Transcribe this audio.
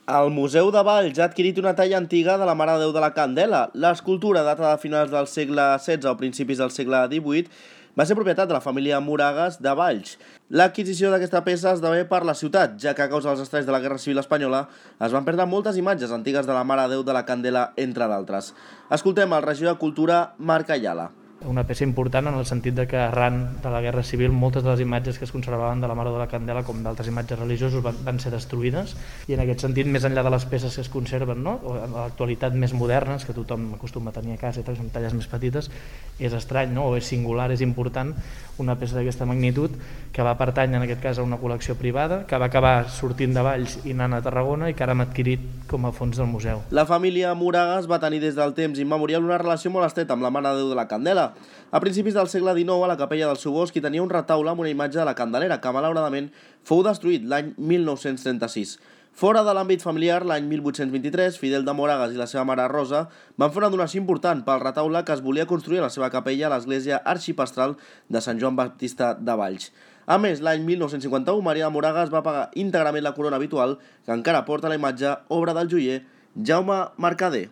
El Museu de Valls ha adquirit una talla antiga de la Mare de Déu de la Candela. L'escultura data de finals del segle XVI o principis del segle XVIII va ser propietat de la família Moragas de Valls. L'adquisició d'aquesta peça esdevé per la ciutat, ja que a causa dels estralls de la Guerra Civil Espanyola es van perdre moltes imatges antigues de la Mare de Déu de la Candela, entre d'altres. Escoltem el regidor de Cultura, Marc Ayala. Una peça important en el sentit de que arran de la Guerra Civil moltes de les imatges que es conservaven de la Mare de la Candela com d'altres imatges religioses van ser destruïdes, i en aquest sentit, més enllà de les peces que es conserven, no? O en l'actualitat més modernes, que tothom acostuma a tenir a casa, són talles més petites, és estrany, no? O és singular, és important una peça d'aquesta magnitud que va pertànyer en aquest cas a una col·lecció privada, que va acabar sortint de Valls i anant a Tarragona i que ara hem adquirit com a fons del museu. La família Moragas va tenir des del temps immemorial una relació molt estreta amb la Mare de Déu de la Candela. A principis del segle XIX, a la capella del seu bosc hi tenia un retaule amb una imatge de la Candelera, que malauradament fou destruït l'any 1936. Fora de l'àmbit familiar, l'any 1823, Fidel de Moragas i la seva mare Rosa van fer una donació important pel retaule que es volia construir a la seva capella a l'església arxipastral de Sant Joan Baptista de Valls. A més, l'any 1951, Maria de Moragas va pagar íntegrament la corona habitual, que encara porta la imatge, obra del joier Jaume Mercader.